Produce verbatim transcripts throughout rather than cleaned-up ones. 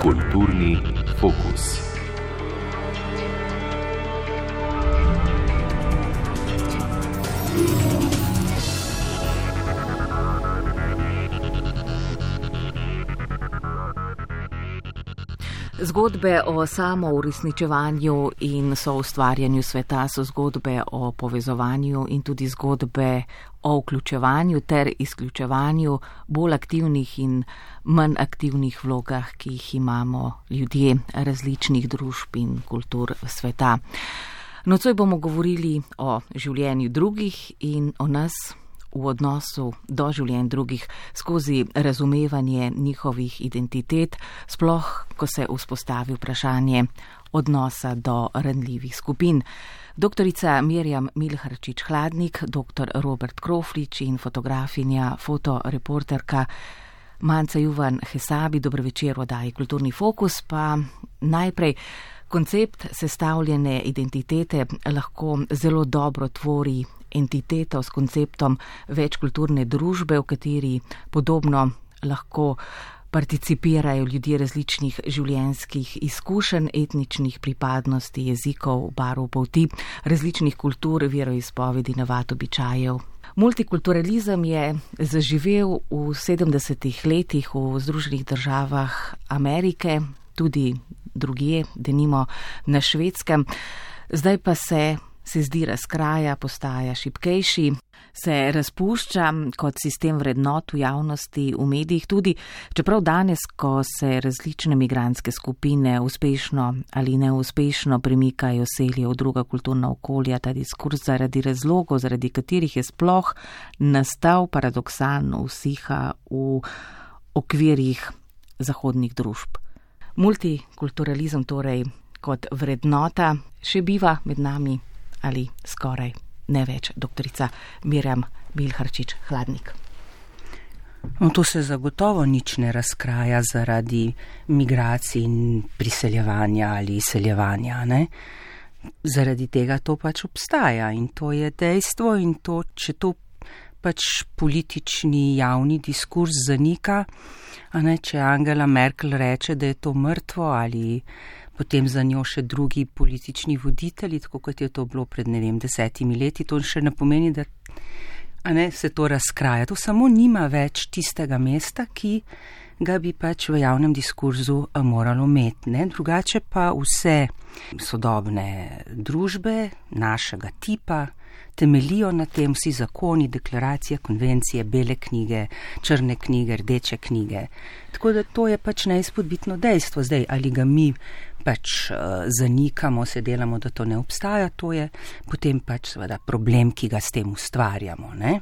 Kulturni fokus. Zgodbe o samouresničevanju in soustvarjanju sveta so zgodbe o povezovanju in tudi zgodbe o vključevanju ter izključevanju bolj aktivnih in manj aktivnih vlogah, ki jih imamo ljudje različnih družb in kultur sveta. Nocoj bomo govorili o življenju drugih in o nas v odnosu do življenj drugih skozi razumevanje njihovih identitet, sploh ko se vzpostavi vprašanje odnosa do ranljivih skupin. Doktorica Mirjam Milharčič Hladnik, doktor Robert Kroflič in fotografinja, fotoreporterka Manca Juvan Hesabi. Dober večer v oddaji Kulturni fokus. Pa najprej, koncept sestavljene identitete lahko zelo dobro tvori entiteto s konceptom večkulturne družbe, v kateri podobno lahko participirajo ljudje različnih življenjskih izkušenj, etničnih pripadnosti, jezikov, barv polti, različnih kultur, veroizpovedi, navad, običajev. Multikulturalizem je zaživel v sedemdesetih letih v Združenih državah Amerike, tudi drugje, denimo na Švedskem. Zdaj pa se se zdi razkraja, postaja šibkejši, se razpušča kot sistem vrednot v javnosti, v medijih tudi, čeprav danes, ko se različne migrantske skupine uspešno ali neuspešno premikajo, selijo v druga kulturna okolja, ta diskurs zaradi razlogov, zaradi katerih je sploh nastal paradoksalno usiha v okvirjih zahodnih družb. Multikulturalizem torej kot vrednota še biva med nami, ali skoraj ne več, doktorica Mirjam Milharčič Hladnik. No, to se zagotovo nič ne razkraja zaradi migracij in priseljevanja ali izseljevanja, ne? Zaradi tega to pač obstaja in to je dejstvo in to, če to pač politični javni diskurs zanika, a ne, če Angela Merkel reče, da je to mrtvo ali potem za njo še drugi politični voditelji, tako kot je to bilo pred, ne vem, desetimi leti, to še ne pomeni, da a ne, se to razkraja. To samo nima več tistega mesta, ki ga bi pač v javnem diskurzu moralo imeti, ne. Drugače pa vse sodobne družbe našega tipa temelijo na tem, vsi zakoni, deklaracije, konvencije, bele knjige, črne knjige, rdeče knjige. Tako da to je pač neizpodbitno dejstvo. Zdaj, ali ga mi pač uh, zanikamo, se delamo, da to ne obstaja, to je potem pač seveda problem, ki ga s tem ustvarjamo, ne.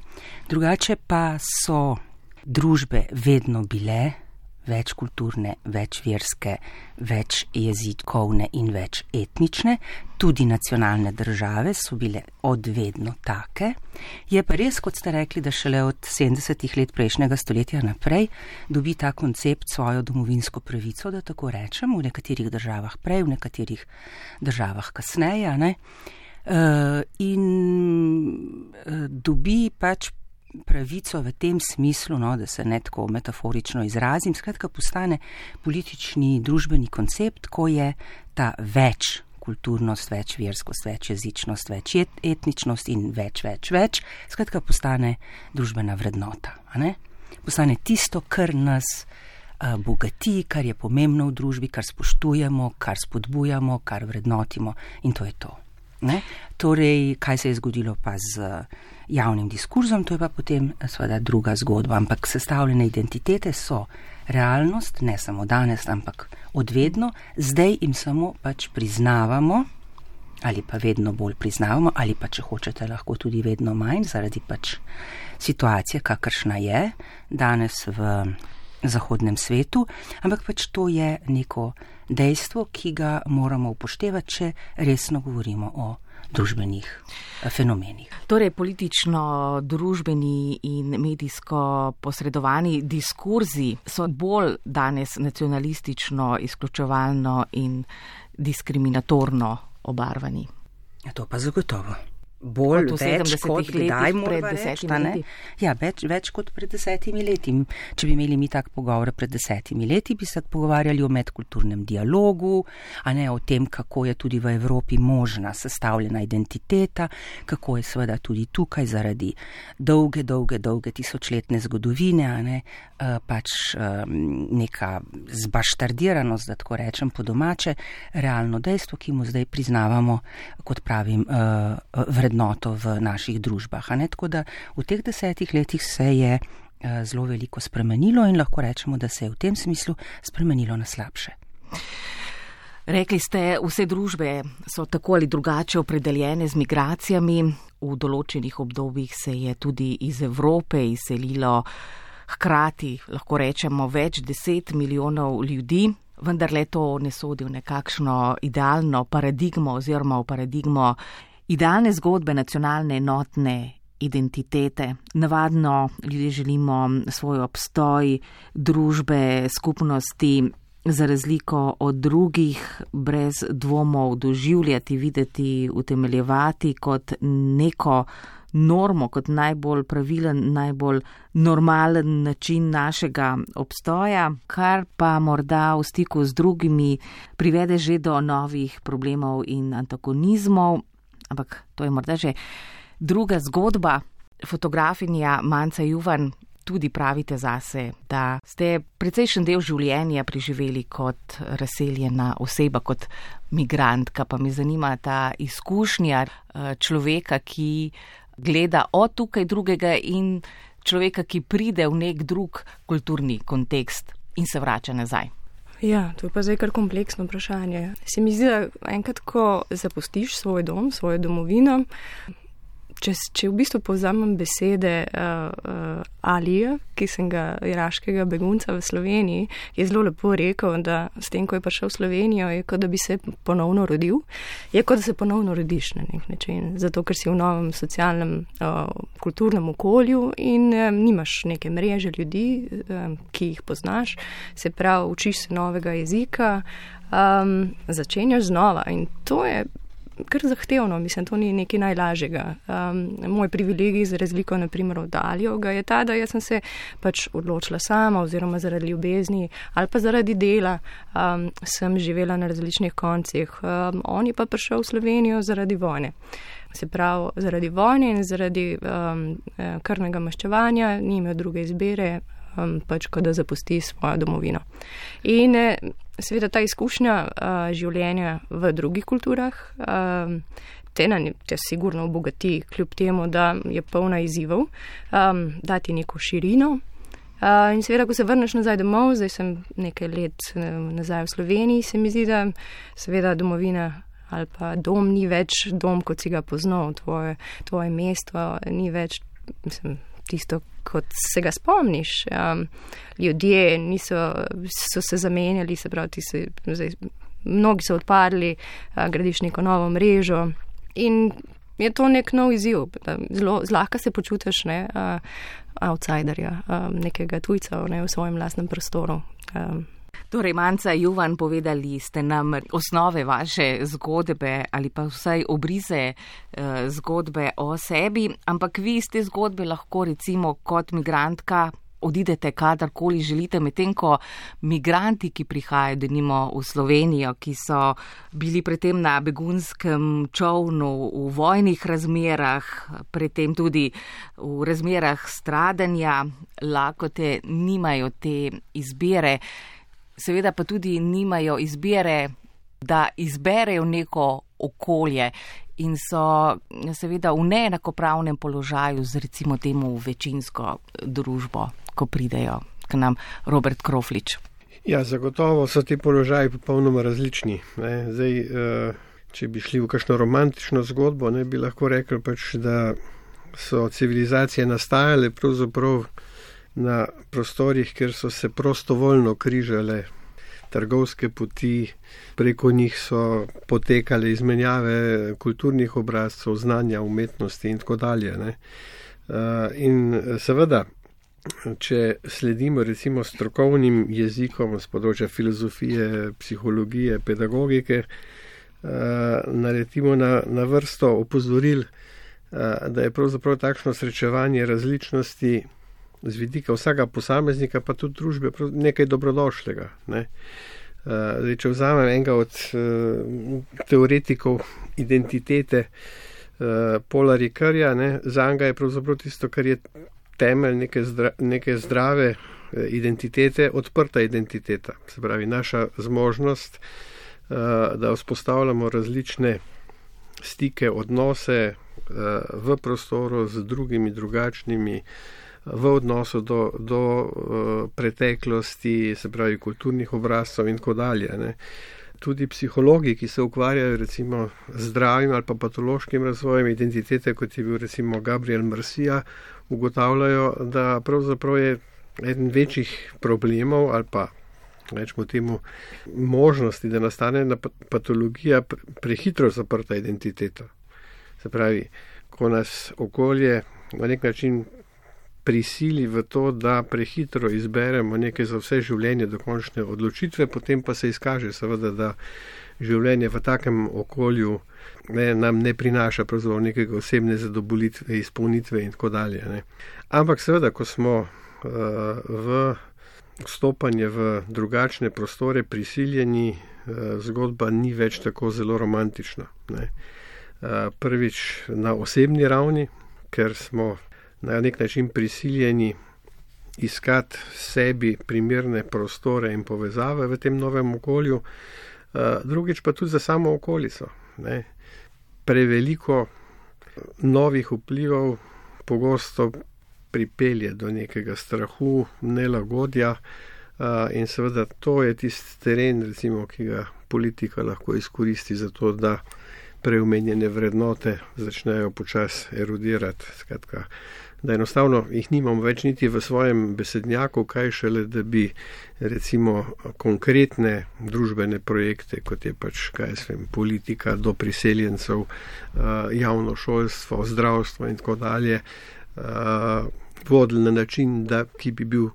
Drugače pa so družbe vedno bile večkulturne, večverske, večjezikovne in večetnične, tudi nacionalne države so bile odvedno take. Je pa res, kot ste rekli, da šele od sedemdesetih let prejšnjega stoletja naprej dobi ta koncept svojo domovinsko pravico, da tako rečem, v nekaterih državah prej, v nekaterih državah kasneje, ne? Uh, in uh, dobi pač pravico v tem smislu, no, da se ne tako metaforično izrazim, skratka postane politični družbeni koncept, ko je ta več kulturnost, več verskost, več jezičnost, več etničnost in več, več, več, skratka postane družbena vrednota, a ne? Postane tisto, kar nas uh, bogati, kar je pomembno v družbi, kar spoštujemo, kar spodbujamo, kar vrednotimo in to je to. Ne? Torej, kaj se je zgodilo pa z javnim diskurzom, to je pa potem seveda druga zgodba, ampak sestavljene identitete so realnost, ne samo danes, ampak odvedno, zdaj jim samo pač priznavamo, ali pa vedno bolj priznavamo, ali pa če hočete lahko tudi vedno manj, zaradi pač situacije, kakršna je danes v zahodnem svetu, ampak pač to je neko dejstvo, ki ga moramo upoštevati, če resno govorimo o družbenih fenomenih. Torej, politično, družbeni in medijsko posredovani diskurzi so bolj danes nacionalistično, izključevalno in diskriminatorno obarvani. Ja, to pa zagotovo. Bolj, več kot kdaj pred moramo desetimi reči, leti. Ja, več, več kot pred desetimi leti. Če bi imeli mi tak pogovor pred desetimi leti, bi se pogovarjali o medkulturnem dialogu, a ne o tem, kako je tudi v Evropi možna sestavljena identiteta, kako je seveda tudi tukaj zaradi dolge, dolge, dolge tisočletne zgodovine, a ne, pač neka zbaštardiranost, da tako rečem po domače, realno dejstvo, ki mu zdaj priznavamo, kot pravim, vrednoto v naših družbah. A ne? Tako da v teh desetih letih se je zelo veliko spremenilo in lahko rečemo, da se je v tem smislu spremenilo na slabše. Rekli ste, vse družbe so tako ali drugače opredeljene z migracijami. V določenih obdobjih se je tudi iz Evrope izselilo hkrati, lahko rečemo, več deset milijonov ljudi. Vendar le to ne sodi v nekakšno idealno paradigmo oziroma v paradigmo idealne zgodbe nacionalne enotne identitete. Navadno ljudje želimo svoj obstoj, družbe, skupnosti za razliko od drugih brez dvomov doživljati, videti, utemeljevati kot neko normo, kot najbolj pravilen, najbolj normalen način našega obstoja, kar pa morda v stiku z drugimi privede že do novih problemov in antagonizmov. Ampak to je morda že druga zgodba. Fotografinja Manca Juvan, tudi pravite zase, da ste precejšen del življenja preživeli kot razseljena oseba, kot migrantka. Pa me zanima ta izkušnja človeka, ki gleda od tukaj drugega in človeka, ki pride v nek drug kulturni kontekst in se vrača nazaj. Ja, to je pa zdaj kar kompleksno vprašanje. Se mi zdi, da enkrat, ko zapustiš svoj dom, svojo domovino, če, če v bistvu povzamem besede uh, uh, Alija, ki sem ga iraškega begunca v Sloveniji, je zelo lepo rekel, da s tem, ko je prišel v Slovenijo, je kot da bi se ponovno rodil, je kot da se ponovno rodiš na nek način, zato ker si v novem socialnem, uh, kulturnem okolju in um, nimaš neke mreže ljudi, um, ki jih poznaš, se pravi, učiš se novega jezika, um, začenjaš znova in to je kar zahtevno, mislim, to ni nekaj najlažjega. Um, moj privilegij za razliko, naprimer, od Alijo, ga je ta, da jaz sem se pač odločila sama oziroma zaradi ljubezni ali pa zaradi dela um, sem živela na različnih koncih. Um, on je pa prišel v Slovenijo zaradi vojne. Se pravi, zaradi vojne in zaradi um, krvnega maščevanja ni imel druge izbire, um, pač kot da zapusti svojo domovino. In seveda ta izkušnja uh, življenja v drugih kulturah uh, te, na, te sigurno obogati, kljub temu, da je polna izzivov, um, dati neko širino. Uh, in seveda, ko se vrneš nazaj domov, zdaj sem nekaj let nazaj v Sloveniji, se mi zdi, da seveda domovina ali pa dom ni več dom, kot si ga poznal, tvoje, tvoje mesto ni več, mislim, tisto, kot se ga spomniš. Um, ljudje niso, so se zamenjali, se pravi, ti se, zdaj, mnogi so odpadli, uh, gradiš neko novo mrežo in je to nek nov izziv. Zelo zlahka se počutiš, ne, uh, outsiderja, um, nekega tujca, ne, v svojem lastnem prostoru. Um, Torej, Manca Juvan, povedali ste nam osnove vaše zgodbe ali pa vsaj obrize eh, zgodbe o sebi, ampak vi iz te zgodbe lahko recimo kot migrantka odidete kadarkoli želite, medtem ko migranti, ki prihajajo denimo v Slovenijo, ki so bili predtem na begunskem čolnu v vojnih razmerah, predtem tudi v razmerah stradanja, lakote, nimajo te izbire. Seveda pa tudi nimajo izbire, da izberejo neko okolje in so seveda v neenakopravnem položaju z recimo temu večinsko družbo, ko pridejo k nam. Robert Kroflič. Ja, zagotovo so ti položaji popolnoma različni. Ne. Zdaj, če bi šli v kakšno romantično zgodbo, ne bi lahko rekli pač, da so civilizacije nastajale pravzaprav na prostorih, kjer so se prostovoljno križale trgovske poti, preko njih so potekale izmenjave kulturnih obrazcev, znanja, umetnosti in tako dalje. Ne. In seveda, če sledimo recimo strokovnim jezikom z področja filozofije, psihologije, pedagogike, naletimo na, na vrsto opozoril, da je pravzaprav takšno srečevanje različnosti z vidika vsega posameznika, pa tudi družbe, nekaj dobrodošlega. Ne? Zdaj, če vzamem enega od teoretikov identitete, Paula Ricoeurja, za njega je pravzaprav tisto, kar je temelj neke, zdra, neke zdrave identitete, odprta identiteta. Se pravi, naša zmožnost, da vzpostavljamo različne stike, odnose v prostoru z drugimi, drugačnimi, v odnosu do, do preteklosti, se pravi, kulturnih obrazcev in tako dalje. Ne. Tudi psihologi, ki se ukvarjajo recimo z zdravim ali pa patološkim razvojem identitete, kot je bil recimo Gabriel Marcia, ugotavljajo, da pravzaprav je eden večjih problemov ali pa rečemo temu možnosti, da nastane patologija prehitro zaprta identiteta. Se pravi, ko nas okolje na nek način prisili v to, da prehitro izberemo neke za vse življenje dokončne odločitve, potem pa se izkaže seveda, da življenje v takem okolju ne, nam ne prinaša pravzaprav nekega osebne zadovoljitve, izpolnitve in tako dalje. Ne. Ampak seveda, ko smo uh, v vstopanje v drugačne prostore prisiljeni, uh, zgodba ni več tako zelo romantična. Ne. Uh, prvič na osebni ravni, ker smo na nek način prisiljeni iskati sebi primerne prostore in povezave v tem novem okolju, drugič pa tudi za samo okolico. Ne. Preveliko novih vplivov pogosto pripelje do nekega strahu, nelagodja in seveda to je tisti teren, recimo, ki ga politika lahko izkoristi za to, da preomenjene vrednote začnejo počasi erodirati. Skratka, da enostavno jih nimam več niti v svojem besednjaku, kaj šele, da bi recimo konkretne družbene projekte, kot je pač, kaj jaz vem, politika do priseljencev, javno šolstvo, zdravstvo in tako dalje, vodili na način, da, ki bi bil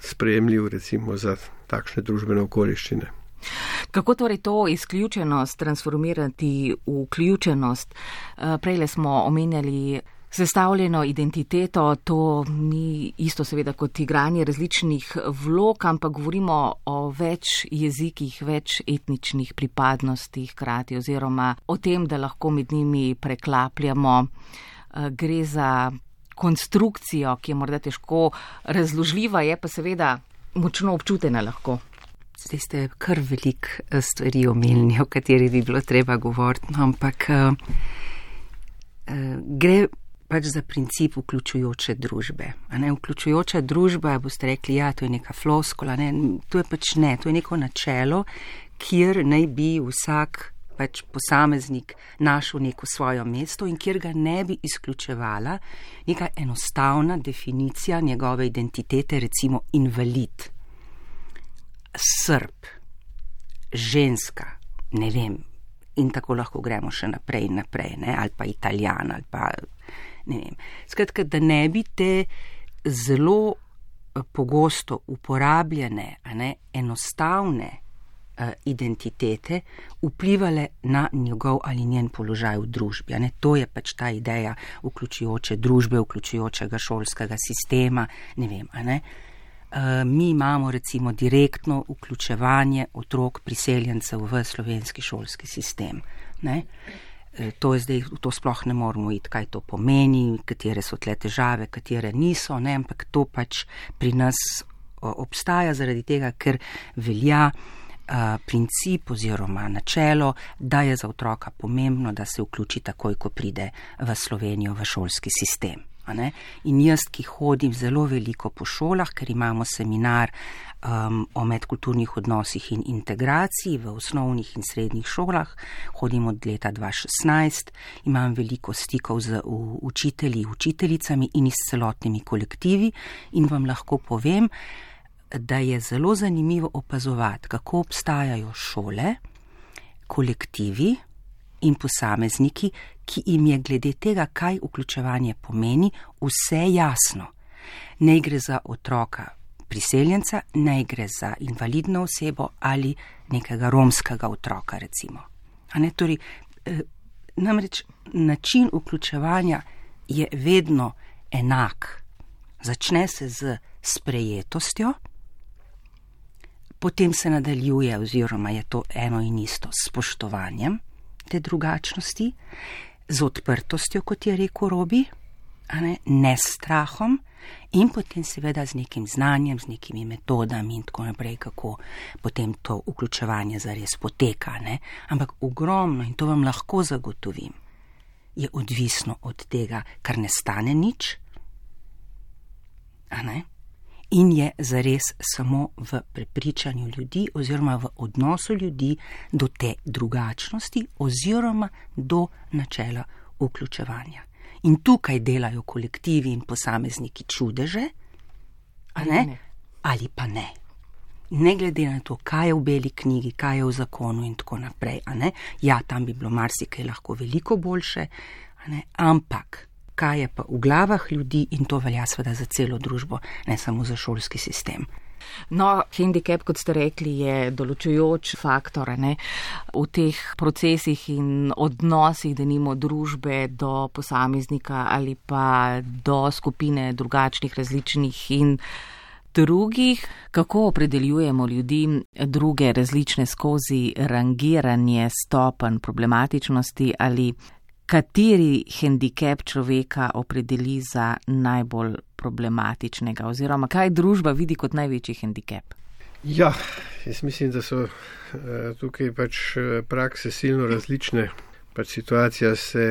sprejemljiv recimo za takšne družbene okoliščine. Kako torej to izključenost transformirati v vključenost? Prejle smo omenjali sestavljeno identiteto, to ni isto seveda kot igranje različnih vlog, ampak govorimo o več jezikih, več etničnih pripadnostih hkrati oziroma o tem, da lahko med njimi preklapljamo. Gre za konstrukcijo, ki je morda težko razložljiva, je pa seveda močno občutena lahko. Zdaj ste kar velik stvari omenili, o kateri bi bilo treba govoriti, no, ampak uh, uh, gre pač za princip vključujoče družbe. A ne, vključujoča družba, boste rekli, ja, to je neka floskula, ne, to je pač ne, to je neko načelo, kjer naj bi vsak pač posameznik našel neko svojo mesto in kjer ga ne bi izključevala neka enostavna definicija njegove identitete, recimo invalid, Srb, ženska, ne vem, in tako lahko gremo še naprej in naprej, ne, ali pa Italijan, ali pa ne vem. Skratka, da ne bi te zelo pogosto uporabljene, a ne, enostavne uh, identitete vplivale na njegov ali njen položaj v družbi. A ne. To je pač ta ideja vključujoče družbe, vključujočega šolskega sistema, ne vem, a ne. Uh, mi imamo recimo direktno vključevanje otrok priseljencev v slovenski šolski sistem. Ne? Uh, to je zdaj, to sploh ne moramo iti, kaj to pomeni, katere so tle težave, katere niso, ne? Ampak to pač pri nas uh, obstaja zaradi tega, ker velja uh, princip oziroma načelo, da je za otroka pomembno, da se vključi takoj, ko pride v Slovenijo v šolski sistem. Ne? In jaz, ki hodim zelo veliko po šolah, ker imamo seminar um, o medkulturnih odnosih in integraciji v osnovnih in srednjih šolah, hodim od leta dva tisoč šestnajst, imam veliko stikov z učitelji, učiteljicami in s celotnimi kolektivi in vam lahko povem, da je zelo zanimivo opazovati, kako obstajajo šole, kolektivi in posamezniki, ki jim je glede tega, kaj vključevanje pomeni, vse jasno. Ne gre za otroka priseljenca, ne gre za invalidno osebo ali nekega romskega otroka, recimo. A ne, torej, Namreč način vključevanja je vedno enak. Začne se z sprejetostjo, potem se nadaljuje oziroma je to eno in isto s spoštovanjem te drugačnosti, z odprtostjo, kot je rekel Robi, a ne, ne s strahom, in potem seveda z nekim znanjem, z nekimi metodami in tako naprej, kako potem to vključevanje zares poteka. Ne? Ampak ogromno, in to vam lahko zagotovim, je odvisno od tega, kar ne stane nič, a ne? In je zares samo v prepričanju ljudi oziroma v odnosu ljudi do te drugačnosti oziroma do načela vključevanja. In tukaj delajo kolektivi in posamezniki čudeže, a ne? Ne. Ali pa ne. Ne glede na to, kaj je v beli knjigi, kaj je v zakonu in tako naprej, a ne? Ja, tam bi bilo marsikaj lahko veliko boljše, a ne? Ampak kaj je pa v glavah ljudi, in to velja seveda za celo družbo, ne samo za šolski sistem. No, handicap, kot ste rekli, je določujoč faktor, ne, v teh procesih in odnosih, denimo družbe do posameznika ali pa do skupine drugačnih, različnih in drugih. Kako opredeljujemo ljudi druge različne skozi rangiranje stopenj problematičnosti ali kateri handicap človeka opredeli za najbolj problematičnega oziroma kaj družba vidi kot največji handicap? Ja, jaz mislim, da so tukaj pač prakse silno različne. Pač situacija se,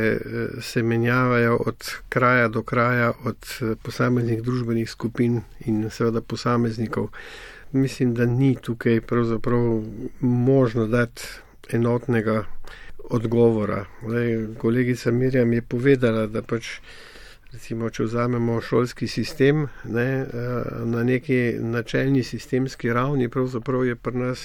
se menjavajo od kraja do kraja, od posameznih družbenih skupin in seveda posameznikov. Mislim, da ni tukaj pravzaprav možno dati enotnega odgovora. Zdaj, kolegica Mirjam je povedala, da pač recimo, če vzamemo šolski sistem, ne, na neki načelni sistemski ravni, pravzaprav je pri nas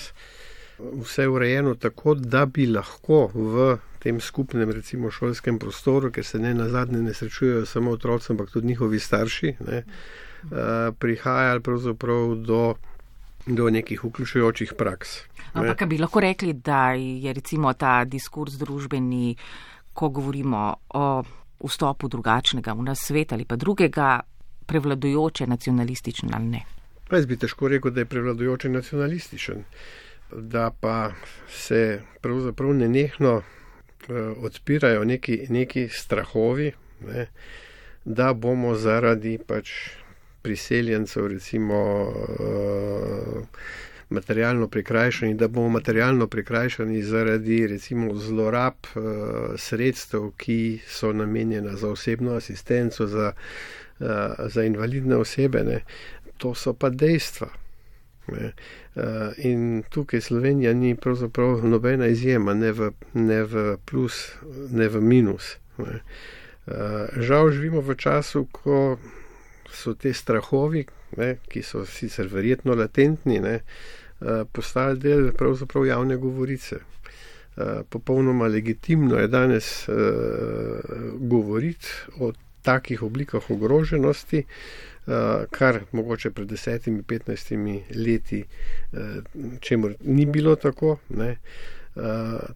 vse urejeno tako, da bi lahko v tem skupnem recimo šolskem prostoru, ker se ne nazadnje ne srečujejo samo otroci, ampak tudi njihovi starši, ne, prihajali pravzaprav do, do nekih vključujočih praks. Ampak bi lahko rekli, da je recimo ta diskurs družbeni, ko govorimo o vstopu drugačnega v nas svet ali pa drugega, prevladujoče nacionalističen ali ne? Pa jaz bi težko rekel, da je prevladujoče nacionalističen, da pa se pravzaprav nenehno odpirajo neki, neki strahovi, ne, da bomo zaradi pač priseljencev recimo materialno prikrajšani, da bomo materialno prikrajšani zaradi recimo zlorab uh, sredstev, ki so namenjena za osebno asistenco, za, uh, za invalidne osebe. Ne. To so pa dejstva. Ne. Uh, in tukaj Slovenija ni pravzaprav nobena izjema, ne v, ne v plus, ne v minus. Ne. Uh, žal živimo v času, ko so te strahovi, ne, ki so sicer verjetno latentni, ne, postali del pravzaprav javne govorice. Popolnoma legitimno je danes govoriti o takih oblikah ogroženosti, kar mogoče pred desetimi, petnajstimi leti, čemur ni bilo tako, ne.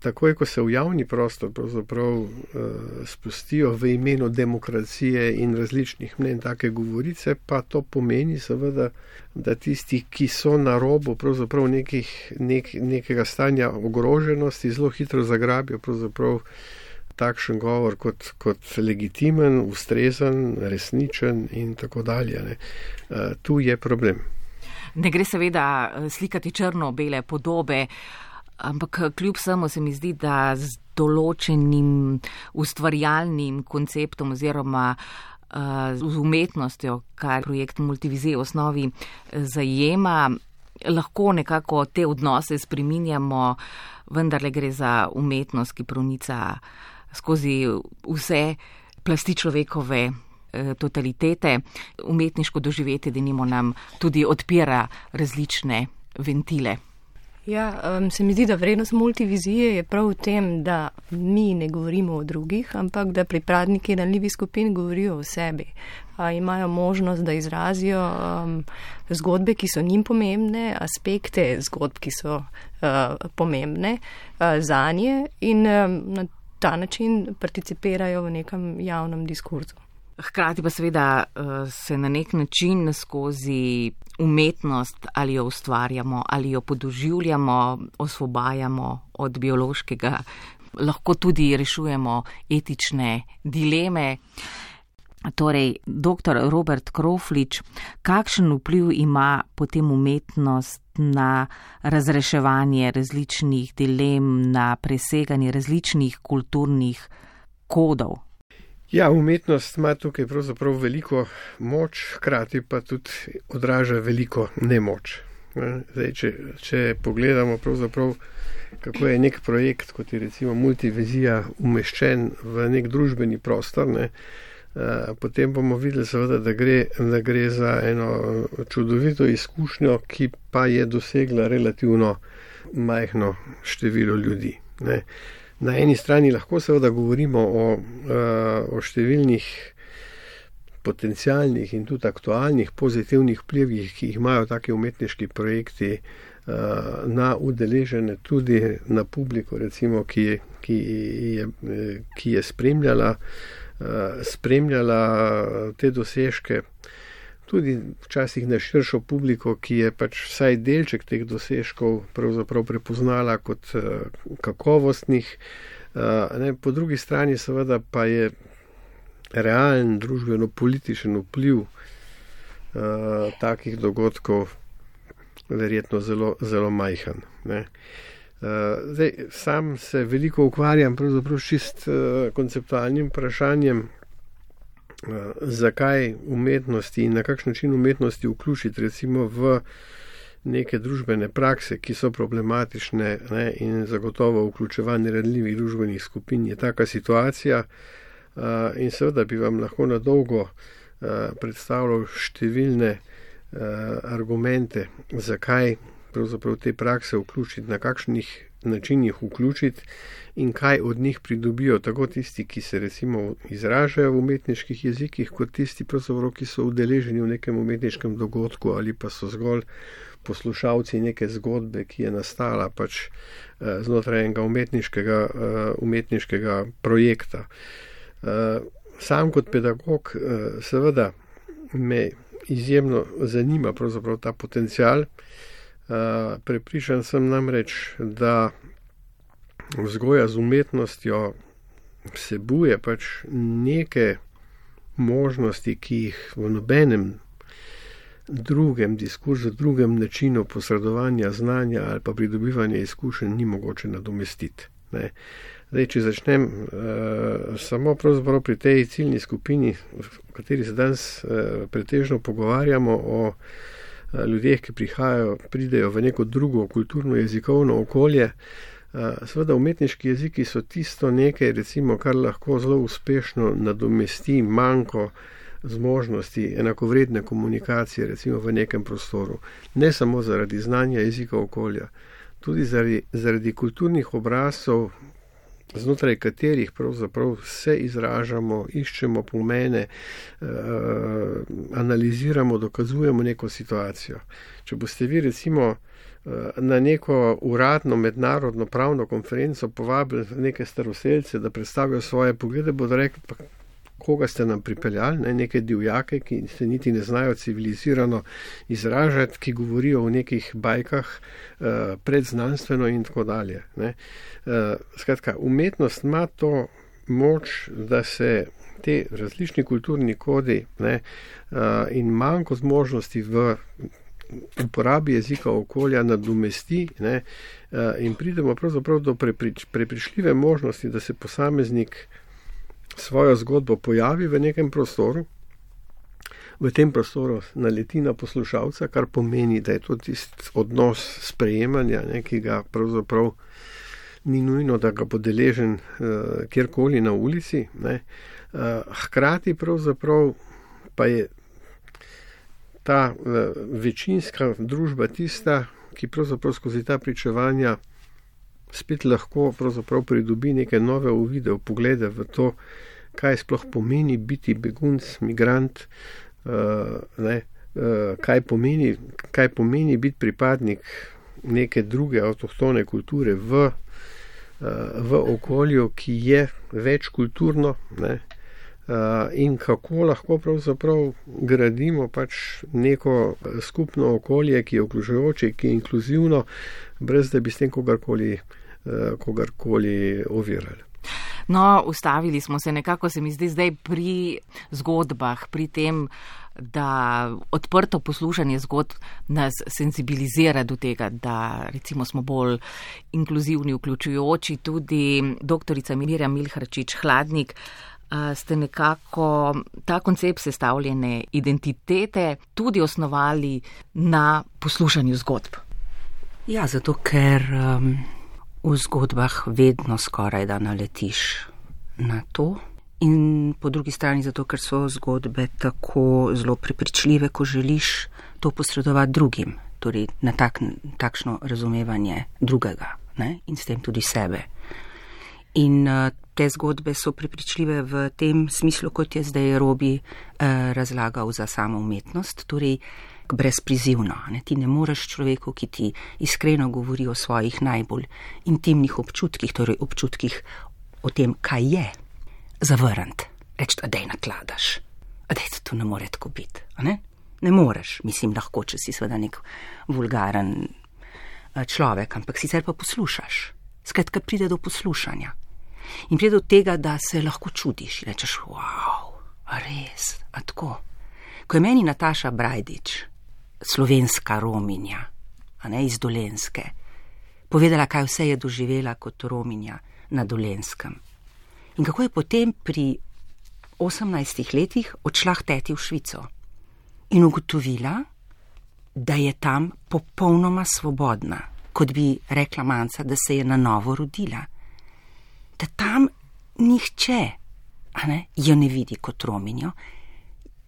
Takoj, ko se v javni prostor pravzaprav spustijo v imenu demokracije in različnih mnenj take govorice, pa to pomeni seveda, da tisti, ki so na robu pravzaprav nekih, nek, nekega stanja ogroženosti, zelo hitro zagrabijo pravzaprav takšen govor kot, kot legitimen, ustrezen, resničen in tako dalje. Ne. Tu je problem. Ne gre seveda slikati črno-bele podobe, ampak kljub samo se mi zdi, da z določenim ustvarjalnim konceptom oziroma uh, z umetnostjo, kar projekt Multivize v osnovi zajema, lahko nekako te odnose spreminjamo, vendarle gre za umetnost, ki pronica skozi vse plasti človekove totalitete. Umetniško doživetje, denimo, nam tudi odpira različne ventile. Ja, um, se mi zdi, da vrednost multivizije je prav v tem, da mi ne govorimo o drugih, ampak da pripadniki ranljivih skupin govorijo o sebi. A, imajo možnost, da izrazijo um, zgodbe, ki so njim pomembne, aspekte zgodb, ki so uh, pomembne uh, zanje in um, na ta način participirajo v nekem javnem diskurzu. Hkrati pa seveda se na nek način skozi umetnost ali jo ustvarjamo, ali jo podoživljamo, osvobajamo od biološkega, lahko tudi rešujemo etične dileme. Torej, doktor Robert Kroflič, kakšen vpliv ima potem umetnost na razreševanje različnih dilem, na preseganje različnih kulturnih kodov? Ja, umetnost ima tukaj pravzaprav veliko moč, hkrati pa tudi odraža veliko nemoč. Zdaj, če, če pogledamo pravzaprav, kako je nek projekt, kot je recimo multivizija, umeščen v nek družbeni prostor, ne, potem bomo videli seveda, da gre, da gre za eno čudovito izkušnjo, ki pa je dosegla relativno majhno število ljudi. Ne. Na eni strani lahko seveda govorimo o, o številnih potencialnih in tudi aktualnih pozitivnih vplivih, ki jih imajo taki umetniški projekti na udeležene, tudi na publiko, recimo, ki, ki, je, ki je spremljala spremljala te dosežke, tudi včasih na širšo publiko, ki je pač vsaj delček teh dosežkov pravzaprav prepoznala kot kakovostnih. Ne, po drugi strani seveda pa je realen družbeno-političen vpliv takih dogodkov verjetno zelo, zelo majhen. Ne. Uh, zdaj, sam se veliko ukvarjam pravzaprav čist uh, konceptualnim vprašanjem, uh, zakaj umetnosti in na kakšen način umetnosti vključiti recimo v neke družbene prakse, ki so problematične, ne, in zagotovo vključevanje ranljivih družbenih skupin je taka situacija, uh, in seveda bi vam lahko na dolgo uh, predstavljal številne uh, argumente, zakaj pravzaprav te prakse vključiti, na kakšnih načinih vključiti in kaj od njih pridobijo tako tisti, ki se recimo izražajo v umetniških jezikih, kot tisti, pravzaprav, ki so udeleženi v nekem umetniškem dogodku ali pa so zgolj poslušalci neke zgodbe, ki je nastala pač eh, znotraj enega umetniškega, eh, umetniškega projekta. Eh, sam kot pedagog eh, seveda me izjemno zanima pravzaprav ta potencial. Uh, prepričan sem namreč, da vzgoja z umetnostjo vsebuje pač neke možnosti, ki jih v nobenem drugem diskurzu, drugem načinu posredovanja znanja ali pa pridobivanja izkušenj ni mogoče nadomestiti. Ne. Zdaj, če začnem uh, samo pravzaprav pri tej ciljni skupini, v kateri se danes uh, pretežno pogovarjamo o ljudeh, ki prihajajo, pridejo v neko drugo kulturno jezikovno okolje. Seveda umetniški jeziki so tisto nekaj, recimo, kar lahko zelo uspešno nadomesti manko zmožnosti enakovredne komunikacije, recimo v nekem prostoru. Ne samo zaradi znanja jezika okolja, tudi zaradi, zaradi kulturnih obrazov, znotraj katerih pravzaprav se izražamo, iščemo pomene, eh, analiziramo, dokazujemo neko situacijo. Če boste vi recimo eh, na neko uradno mednarodno pravno konferenco povabili neke staroselce, da predstavijo svoje poglede, bodo rekli, pa koga ste nam pripeljali, ne, neke divjake, ki se niti ne znajo civilizirano izražati, ki govorijo o nekih bajkah uh, predznanstveno in tako dalje. Ne. Uh, skratka, umetnost ima to moč, da se te različni kulturni kodi, ne, uh, in manjko zmožnosti v uporabi jezika okolja nadomesti, ne, uh, in pridemo pravzaprav do preprič, prepričljive možnosti, da se posameznik svojo zgodbo pojavi v nekem prostoru, v tem prostoru naleti na poslušalca, kar pomeni, da je to tisti odnos sprejemanja, ne, ki ga pravzaprav ni nujno, da ga bo deležen uh, kjerkoli na ulici. Ne. Uh, hkrati pravzaprav pa je ta uh, večinska družba tista, ki pravzaprav skozi ta pričevanja spet lahko pravzaprav pridobi neke nove uvide, poglede v to, kaj sploh pomeni biti begunc, migrant, uh, ne, uh, kaj pomeni, kaj pomeni biti pripadnik neke druge avtohtone kulture v v okolju, ki je večkulturno, ne, in kako lahko pravzaprav gradimo pač neko skupno okolje, ki je vključujoče, ki je inkluzivno, brez da bi s tem kogarkoli, kogarkoli ovirali. No, ustavili smo se nekako, se mi zdi zdaj pri zgodbah, pri tem, da odprto poslušanje zgodb nas senzibilizira do tega, da recimo smo bolj inkluzivni, vključujoči. Tudi doktorica Mirjam Milharčič Hladnik, ste nekako ta koncept sestavljene identitete tudi osnovali na poslušanju zgodb. Ja, zato ker um, v zgodbah vedno skoraj da naletiš na to. In po drugi strani zato, ker so zgodbe tako zelo prepričljive, ko želiš to posredovati drugim, torej na tak, takšno razumevanje drugega, ne? In s tem tudi sebe. In uh, te zgodbe so prepričljive v tem smislu, kot je zdaj Robi uh, razlagal za samo umetnost, torej brezprizivno. Ne? Ti ne moreš človeku, ki ti iskreno govori o svojih najbolj intimnih občutkih, torej občutkih o tem, kaj je, zavrniti. Reči, a dej nakladaš. A dej, to ne more tako biti. Ne? ne moreš, mislim, lahko, če si seveda nek vulgaren človek, ampak sicer pa poslušaš. Skratka, pride do poslušanja. In pride do tega, da se lahko čudiš. Rečeš, wow, a res, a tako. Ko je meni Nataša Brajdič, slovenska Rominja, a ne iz Dolenjske, povedala, kaj vse je doživela kot Rominja na Dolenskem. In kako je potem pri osemnajstih letih odšla k teti v Švico in ugotovila, da je tam popolnoma svobodna, kot bi rekla Manca, da se je na novo rodila. Da tam nihče, a ne, jo ne vidi kot Rominjo,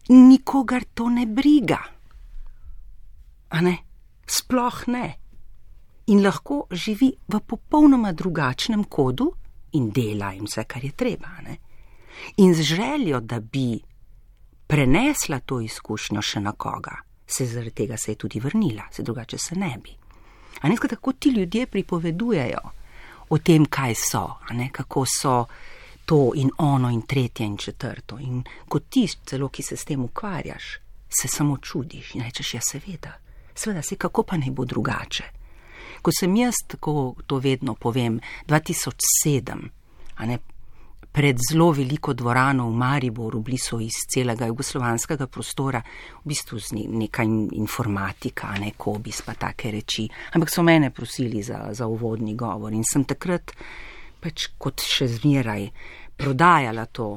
nikogar to ne briga. A ne, sploh ne. In lahko živi v popolnoma drugačnem kodu in dela in vse, kar je treba, ne. In z željo, da bi prenesla to izkušnjo še na koga, se zaradi tega se je tudi vrnila, se drugače se ne bi. A ne, tako ti ljudje pripovedujejo o tem, kaj so, a ne, kako so to in ono in tretje in četrto. In kot ti celo, ki se s tem ukvarjaš, se samo čudiš in rečeš, ja, seveda, seveda se, kako pa naj bo drugače. Ko sem jaz, tako to vedno povem, dva tisoč sedem, a ne, pred zelo veliko dvorano v Mariboru, blizu iz celega jugoslovanskega prostora, v bistvu z nekaj informatika, ne, kobis pa take reči, ampak so mene prosili za, za uvodni govor in sem takrat pač kot še zmeraj prodajala to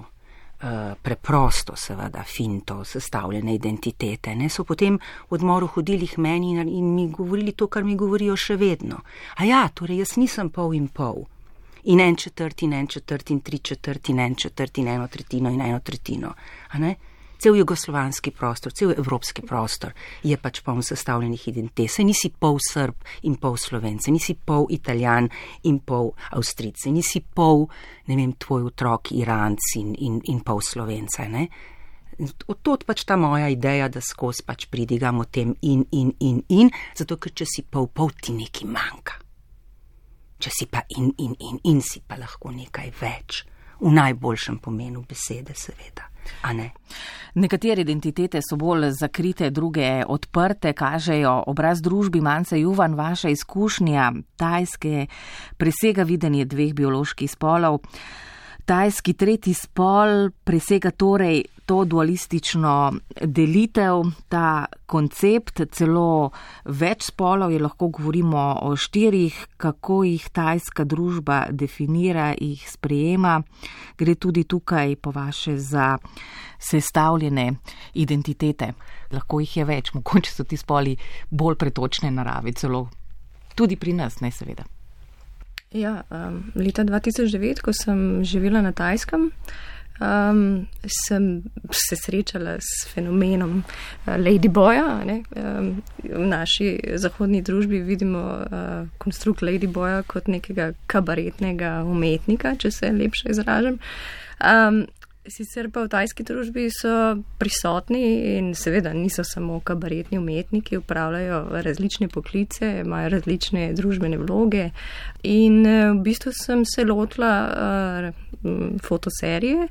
uh, preprosto, seveda, finto, sestavljene identitete, ne, so potem v odmoru hodili k meni in, in mi govorili to, kar mi govorijo še vedno. A ja, torej jaz nisem pol in pol. In en četrt, in en četrt, in tri četrt, in en četrt, in eno tretjino, in eno tretjino. A ne? Cel jugoslovanski prostor, cel evropski prostor je pač poln sestavljenih identitet. Se nisi pol Srb in pol Slovence, nisi pol Italijan in pol Avstrijce, nisi pol, ne vem, tvoj otrok Iranc in, in, in pol Slovenca, ne? Od pač ta moja ideja, da skozi pač pridigam o tem in, in, in, in, zato ker če si pol, pol ti nekaj manjka. Če si pa in, in, in, in si pa lahko nekaj več. V najboljšem pomenu besede, seveda. A ne? Nekatere identitete so bolj zakrite, druge odprte, kažejo obraz družbi. Manca Juvan, vaša izkušnja Tajske presega videnje dveh bioloških spolov. Tajski tretji spol presega torej to dualistično delitev, ta koncept, celo več spolov, je lahko govorimo o štirih, kako jih tajska družba definira, jih sprejema. Gre tudi tukaj po vaše za sestavljene identitete. Lahko jih je več, mogoče so ti spoli bolj pretočne narave, celo tudi pri nas, ne seveda. Ja, um, leta dva tisoč devet, ko sem živela na Tajskem, um, sem se srečala s fenomenom uh, Ladyboya. Um, v naši zahodni družbi vidimo uh, konstrukt Ladyboya kot nekega kabaretnega umetnika, če se lepše izražam. Um, Sicer pa v tajski družbi so prisotni in seveda niso samo kabaretni umetniki, upravljajo različne poklice, imajo različne družbene vloge in v bistvu sem se lotila uh, fotoserije,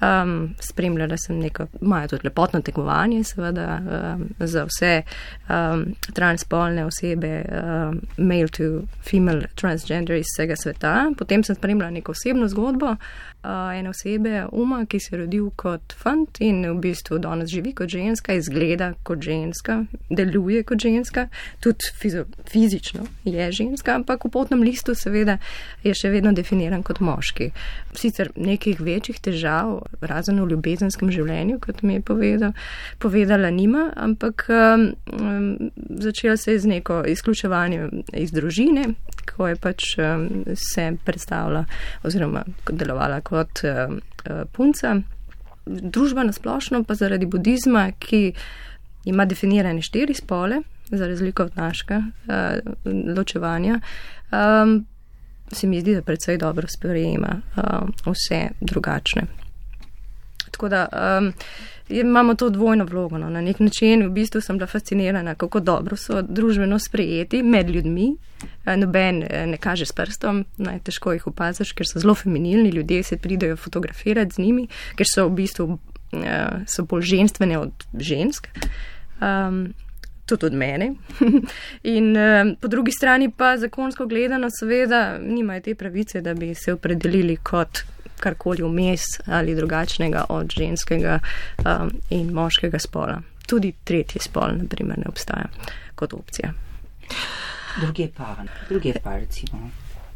um, spremljala sem neko, imajo tudi lepotno tekmovanje seveda um, za vse um, transspolne osebe, um, male to female transgender iz vsega sveta. Potem sem spremljala neko osebno zgodbo uh, ene osebe, Uma, ki se je rodil kot fant in v bistvu danes živi kot ženska, izgleda kot ženska, deluje kot ženska, tudi fizo, fizično je ženska, ampak v potnem listu seveda je še vedno definiran kot moški. Sicer nekih večjih težav, razen v ljubezenskem življenju, kot mi je povedal, povedala nima, ampak um, začela se je z neko izključevanjem iz družine, ko je pač um, se predstavila oziroma delovala kot um, punca. Družba nasplošno pa zaradi budizma, ki ima definirane štiri spole, za razliko od našega uh, ločevanja, um, se mi zdi, da predvsej dobro sprejema uh, vse drugačne. Tako da um, imamo to dvojno vlogo. No. Na nek način v bistvu sem bila fascinirana, kako dobro so družbeno sprejeti med ljudmi. Noben ne kaže s prstom, naj težko jih opaziš, ker so zelo feminilni, ljudje se pridejo fotografirati z njimi, ker so v bistvu so bolj ženstvene od žensk. Um, tudi od mene. In um, po drugi strani pa zakonsko gledano seveda nimajo te pravice, da bi se opredelili kot karkoli vmes ali drugačnega od ženskega um, in moškega spola. Tudi tretji spol, na primer, ne obstaja kot opcija. Druge pa, druge pa recimo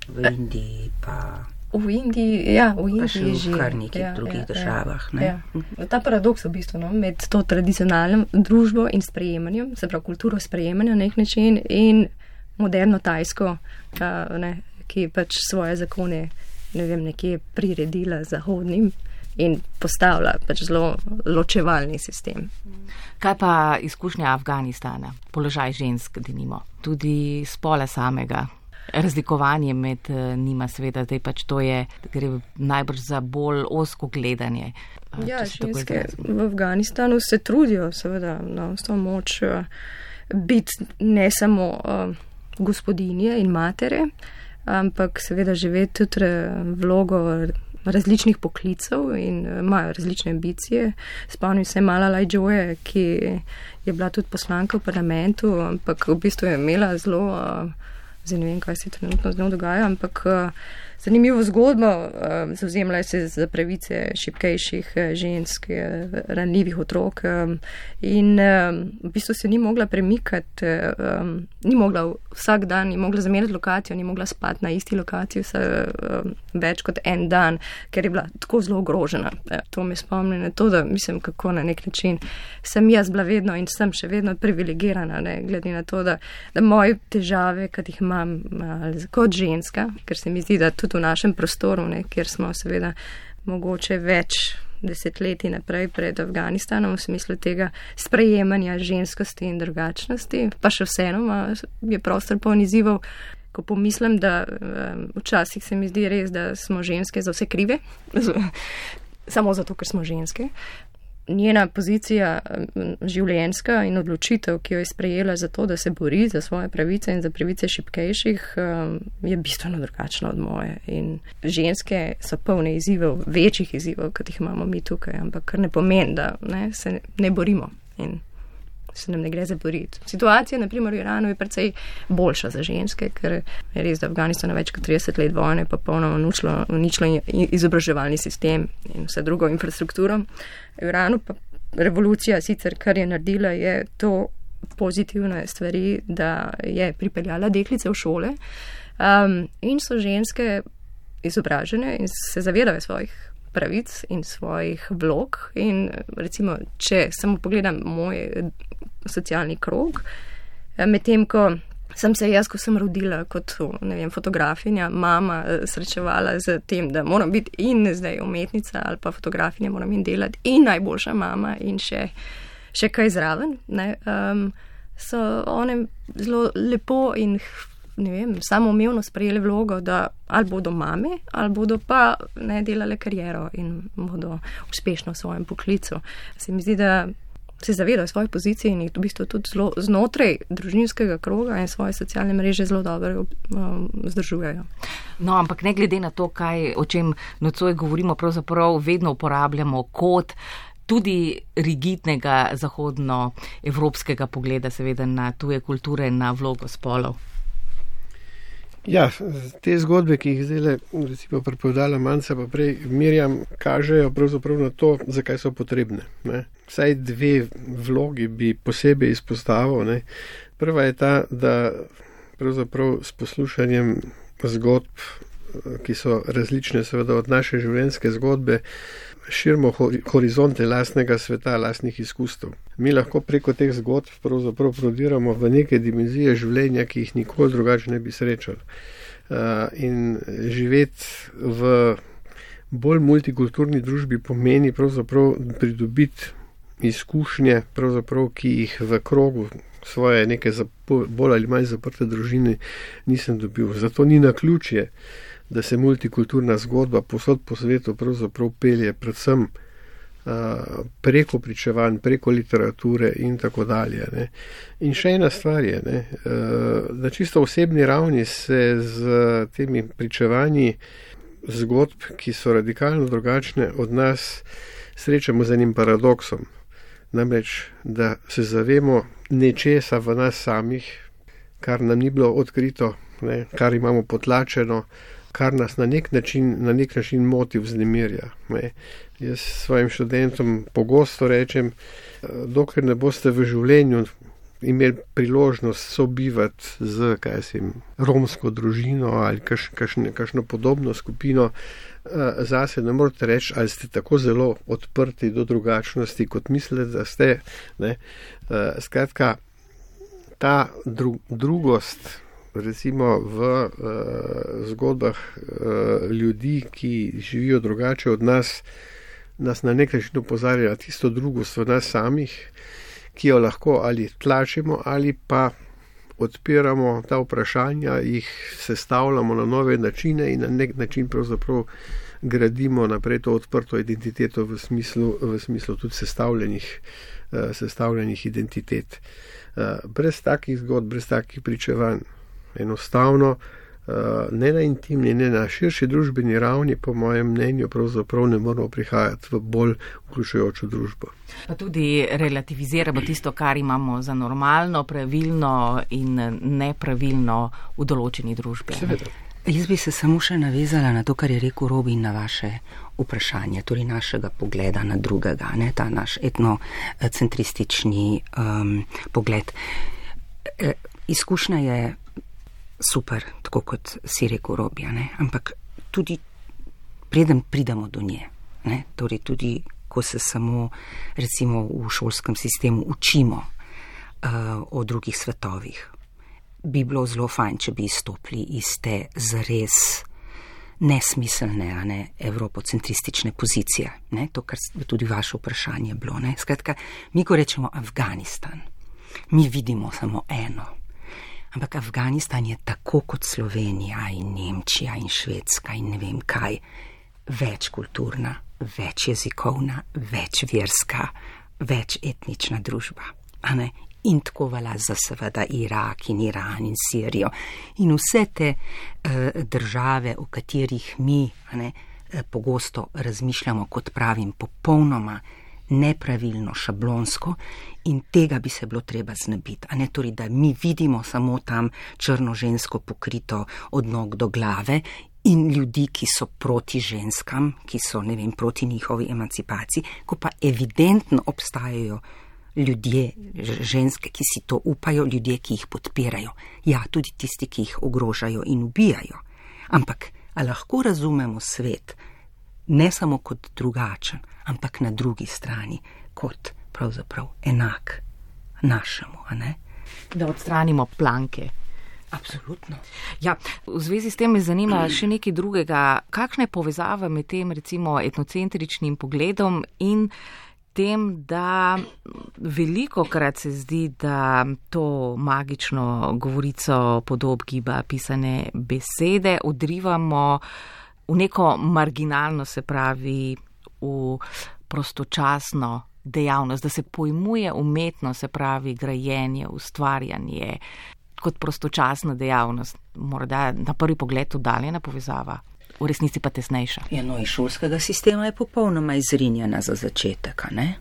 v Indiji pa... V Indiji, ja, v Indiji pa še že. v kar nekih ja, drugih ja, državah. Ne? Ja. Ta paradoks v bistvu, no, med to tradicionalno družbo in sprejemanjem, se pravi kulturo sprejemanja na nek način in moderno tajsko, uh, ne, ki pač svoje zakone ne vem, nekje priredila zahodnim in postavlja pač zelo ločevalni sistem. Kaj pa izkušnja Afganistana, položaj žensk, denimo, tudi spola samega, razlikovanje med njima seveda, zdaj pač to je, gre najbrž za bolj ozko gledanje. Ja, ženske v Afganistanu se trudijo seveda na vso moč biti ne samo uh, gospodinje in matere, ampak seveda živeti tudi vlogo različnih poklicev in imajo različne ambicije. Spomnim se Malala Yousafzai, ki je bila tudi poslanka v parlamentu, ampak v bistvu je imela zelo, zdaj ne vem, kaj se trenutno z njo dogaja, ampak zanimivo zgodbo, zavzemala se za pravice šibkejših žensk, ranljivih otrok in v bistvu se ni mogla premikati, ni mogla vsak dan, ni mogla zamenjati lokacijo, ni mogla spati na isti lokaciji vse več kot en dan, ker je bila tako zelo ogrožena. To me spomni na to, da mislim, kako na nek način sem jaz bila vedno in sem še vedno privilegirana, ne, glede na to, da, da moje težave, kad jih imam kot ženska, ker se mi zdi, da tudi v našem prostoru, ne, kjer smo seveda mogoče več desetletij naprej pred Afganistanom v smislu tega sprejemanja ženskosti in drugačnosti, pa še vseeno je prostor poln izzivov, ko pomislim, da um, včasih se mi zdi res, da smo ženske za vse krive, samo zato, ker smo ženske. Njena pozicija življenjska in odločitev, ki jo je sprejela za to, da se bori za svoje pravice in za pravice šibkejših, je bistveno drugačna od moje. In ženske so polne izzivov, večjih izzivov, kot jih imamo mi tukaj, ampak kar ne pomeni, da ne, se ne borimo in se nam ne gre za boriti. Situacija, na primer, v Iranu je precej boljša za ženske, ker je res, da Afganistan več kot trideset let vojne pa polno uničilo izobraževalni sistem in vse drugo infrastrukturo. V Iranu pa revolucija sicer, kar je naredila, je to pozitivne stvari, da je pripeljala deklice v šole um, in so ženske izobražene in se zavedajo svojih pravic in svojih vlog in recimo, če samo pogledam moj socialni krog, medtem ko sem se jaz, ko sem rodila kot, ne vem, fotografinja, mama srečevala z tem, da moram biti in zdaj umetnica ali pa fotografinja, moram in delati in najboljša mama in še, še kaj zraven, ne, um, so one zelo lepo in ne vem, samoumevno sprejeli vlogo, da ali bodo mame, ali bodo pa ne delale kariero in bodo uspešno v svojem poklicu. Se mi zdi, da se zavedajo svoje pozicije in jih v bistvu tudi zelo znotraj družinskega kroga in svoje socialne mreže zelo dobro um, zdržujejo. No, ampak ne glede na to, kaj, o čem nocoj govorimo, pravzaprav vedno uporabljamo kot tudi rigidnega zahodnoevropskega pogleda, seveda na tuje kulture, na vlogo spolov. Ja, te zgodbe, ki jih zdaj recimo pripovedala Manca pa prej Mirjam, kažejo pravzaprav na to, zakaj so potrebne. Ne. Vsaj dve vlogi bi posebej izpostavil. Ne. Prva je ta, da pravzaprav s poslušanjem zgodb, ki so različne seveda od naše življenjske zgodbe, širimo horizonte lastnega sveta, lastnih izkustev. Mi lahko preko teh zgodb pravzaprav prodiramo v neke dimenzije življenja, ki jih nikoli drugače ne bi srečali. In živeti v bolj multikulturni družbi pomeni pravzaprav pridobiti izkušnje, pravzaprav, ki jih v krogu svoje neke bolj ali manj zaprte družine nisem dobil. Zato ni naključje, da se multikulturna zgodba povsod po svetu pravzaprav pelje predvsem uh, preko pričevanj, preko literature in tako dalje. Ne. In še ena stvar je, ne, uh, na čisto osebni ravni se z temi pričevanji zgodb, ki so radikalno drugačne od nas, srečamo z enim paradoksom. Namreč, da se zavemo nečesa v nas samih, kar nam ni bilo odkrito, ne, kar imamo potlačeno, kar nas na nek način, na nek način moti, vznemirja. Ne. Jaz svojim študentom pogosto rečem, dokler ne boste v življenju imeli priložnost sobivati z, kaj sem, romsko družino ali kaš, kašne, kašno podobno skupino, zase ne morete reči, ali ste tako zelo odprti do drugačnosti, kot mislite, da ste. Ne. Skratka, ta dru, drugost, recimo v uh, zgodbah uh, ljudi, ki živijo drugače od nas, nas na nek način opozarja tisto drugost v nas samih, ki jo lahko ali tlačimo ali pa odpiramo ta vprašanja, jih sestavljamo na nove načine in na nek način pravzaprav gradimo naprej to odprto identiteto v smislu, v smislu tudi sestavljenih, uh, sestavljenih identitet. Uh, brez takih zgodb, brez takih pričevanj, enostavno, ne na intimni, ne na širši družbeni ravni, po mojem mnenju, pravzaprav ne moramo prihajati v bolj vključujočo družbo. Pa tudi relativiziramo tisto, kar imamo za normalno, pravilno in nepravilno v določeni družbi. Seveda. Jaz bi se samo še navezala na to, kar je rekel Robin, na vaše vprašanje, torej našega pogleda na drugega, ne, ta naš etnocentristični um, pogled. E, izkušnja je super, tako kot si rekel Robi, ne? Ampak tudi preden pridemo do nje, ne? Torej tudi, ko se samo recimo v šolskem sistemu učimo uh, o drugih svetovih, bi bilo zelo fajn, če bi izstopili iz te zares nesmiselne, a ne, evropocentristične pozicije, ne? To, kar tudi vaše vprašanje bilo, ne? Skratka, mi ko rečemo Afganistan, mi vidimo samo eno. Ampak Afganistan je tako kot Slovenija in Nemčija in Švedska in ne vem kaj, večkulturna, večjezikovna, večverska, večetnična družba. A ne? In tako velja za seveda Irak in Iran in Sirijo in vse te uh, države, o katerih mi, a ne, pogosto razmišljamo, kot pravim, popolnoma nepravilno, šablonsko, in tega bi se bilo treba znebiti. A ne, torej, da mi vidimo samo tam črno žensko pokrito od nog do glave in ljudi, ki so proti ženskam, ki so, ne vem, proti njihovi emancipaciji, ko pa evidentno obstajajo ljudje, ženske, ki si to upajo, ljudje, ki jih podpirajo. Ja, tudi tisti, ki jih ogrožajo in ubijajo. Ampak, a lahko razumemo svet ne samo kot drugačen, ampak na drugi strani kot pravzaprav enak našemu, a ne? Da odstranimo planke. Absolutno. Ja, v zvezi s tem me zanima še nekaj drugega. Kakšna je povezava med tem, recimo, etnocentričnim pogledom in tem, da veliko krat se zdi, da to magično govorico podob giba pisane besede odrivamo v neko marginalno, se pravi v prostočasno dejavnost, da se pojmuje umetnost, se pravi grajenje, ustvarjanje kot prostočasna dejavnost. Morda na prvi pogled oddaljena povezava, v resnici pa tesnejša. Ja, no, iz šolskega sistema je popolnoma izrinjena za začetek, ne?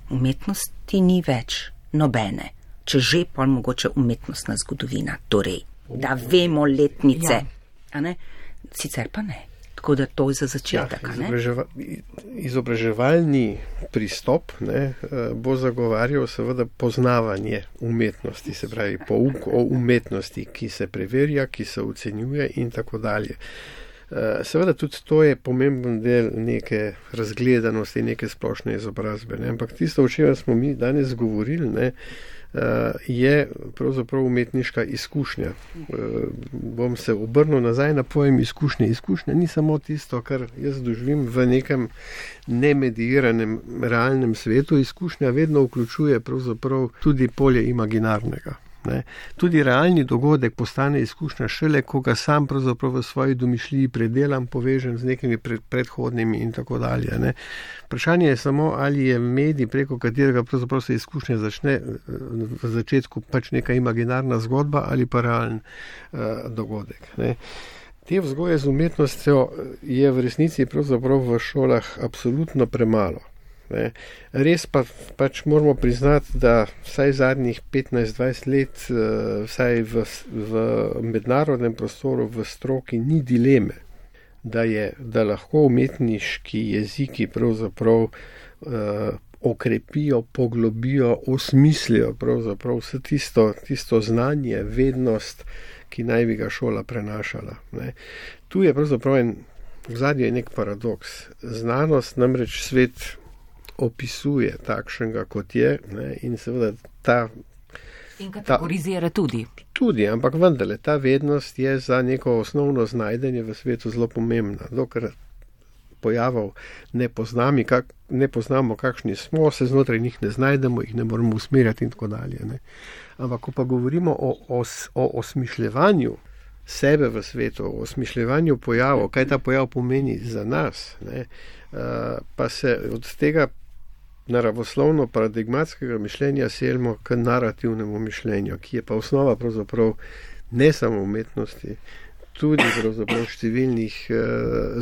Umetnosti ni več nobene. Če že, pa mogoče umetnostna zgodovina, torej, da vemo letnice, ja. A ne? Sicer pa ne. Tako da to je za začetek, ja, ne? Izobraževa, izobraževalni pristop, ne, bo zagovarjal seveda poznavanje umetnosti, se pravi pouk o umetnosti, ki se preverja, ki se ocenjuje in tako dalje. Seveda tudi to je pomemben del neke razgledanosti, neke splošne izobrazbe, ne? Ampak tisto, o čemer smo mi danes govorili, ne, je pravzaprav umetniška izkušnja. Bom se obrnil nazaj na pojem izkušnje. Izkušnja ni samo tisto, kar jaz doživim v nekem nemediranem realnem svetu. Izkušnja vedno vključuje pravzaprav tudi polje imaginarnega. Ne. Tudi realni dogodek postane izkušnja šele, ko ga sam pravzaprav v svoji domišljiji predelam, povežem z nekimi pred, predhodnimi in tako dalje. Ne. Vprašanje je samo, ali je medij, preko katerega pravzaprav se izkušnja začne v začetku pač neka imaginarna zgodba ali pa realen uh, dogodek. Ne. Te vzgoje z umetnostjo je v resnici pravzaprav v šolah absolutno premalo. Ne. Res pa pač moramo priznati, da vsaj zadnjih petnajst dvajset let, vsaj v, v mednarodnem prostoru, v stroki ni dileme, da, je, da lahko umetniški jeziki pravzaprav uh, okrepijo, poglobijo, osmislijo pravzaprav vse tisto, tisto znanje, vednost, ki naj bi ga šola prenašala. Ne. Tu je pravzaprav en, v zadnji je nek paradoks. Znanost namreč svet opisuje takšnega, kot je, ne, in seveda ta... In kategorizira ta, tudi. Tudi, ampak vendarle, ta vednost je za neko osnovno znajdenje v svetu zelo pomembna. Dokler pojavov ne, poznami, kak, ne poznamo, kakšni smo, se znotraj njih ne znajdemo, jih ne moramo usmerjati in tako dalje. Ne. Ampak, ko pa govorimo o, o, o osmišljevanju sebe v svetu, o osmišljevanju pojavov, kaj ta pojav pomeni za nas, ne, uh, pa se od tega naravoslovno paradigmatskega mišljenja selimo k narativnemu mišljenju, ki je pa osnova pravzaprav ne samo umetnosti, tudi pravzaprav številnih uh,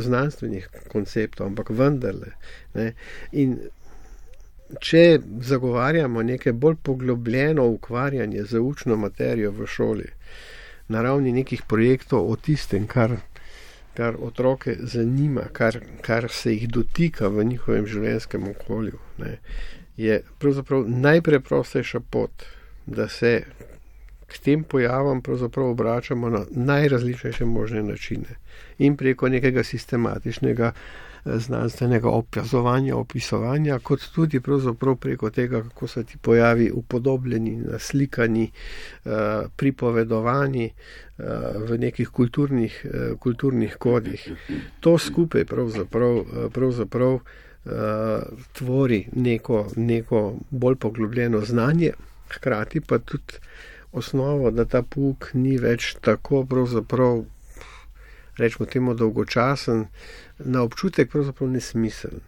znanstvenih konceptov, ampak vendarle. Ne. In če zagovarjamo neke bolj poglobljeno ukvarjanje z učno materijo v šoli, na ravni nekih projektov o tistem, kar kar otroke zanima, kar, kar se jih dotika v njihovem življenjskem okolju, ne, je pravzaprav najpreprostejša pot, da se k tem pojavam pravzaprav obračamo na najrazličnejše možne načine in preko nekega sistematičnega znanstvenega opazovanja, opisovanja, kot tudi pravzaprav preko tega, kako so ti pojavi upodobljeni, naslikani, pripovedovani v nekih kulturnih, kulturnih kodih. To skupaj pravzaprav, pravzaprav tvori neko, neko bolj poglobljeno znanje, hkrati pa tudi osnovo, da ta pouk ni več tako pravzaprav, rečemo temu, dolgočasen, na občutek pravzaprav nesmiseln.